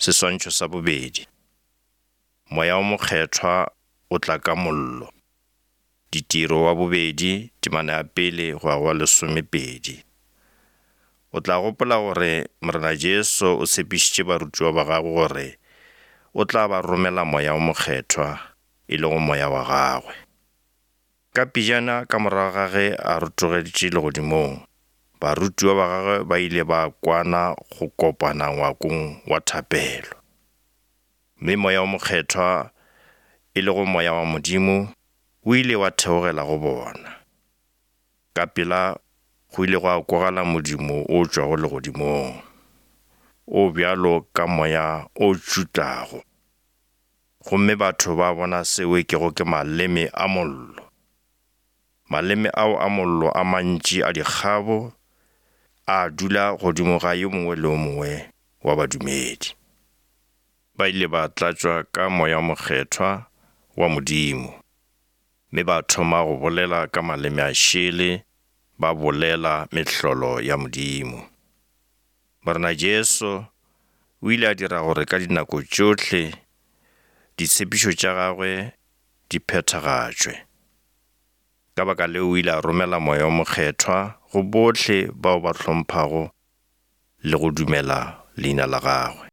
Seswantšho sa bobedi. Moya o Mokgethwa o tla ka mollo. Ditiro wa bobedi, temana ya pele go ya go wa lesomepedi. O tla gopola gore Morena Jesu o tshepišitše barutiwa ba gagwe gore o tla ba romela Moya o Mokgethwa, e lego Moya wa gagwe. Ka pejana ka morago ga ge a rotogetše legodimong, barutiwa ba gagwe ba ile ba kwana go kopana ngwakong wa thapelo. Mme Moya o Mokgethwa, e lego Moya wa Modimo, o ile wa theogela go bona. Ka pela go ile gwa kwagala modumo o tšwago legodimong, o bjalo ka moya o tšutlago, gomme batho ba bona seo e kego ke maleme a mollo. Maleme ao a mollo a mantši a dikgabo a dula godimo ga yo mongwe le yo mongwe wa badumedi. Ba ile ba tlatšwa ka Moya o Mokgethwa wa Modimo, mme ba thoma go bolela ka maleme a šele, ba bolela mehlolo ya Modimo. Morena Jesu o ile a dira gore ka dinako tšohle ditshepišo tša gagwe di phethagatšwe. Ka baka leo o ile a romela Moya o Mokgethwa go bohle bao ba hlomphago le go dumela leina la gagwe.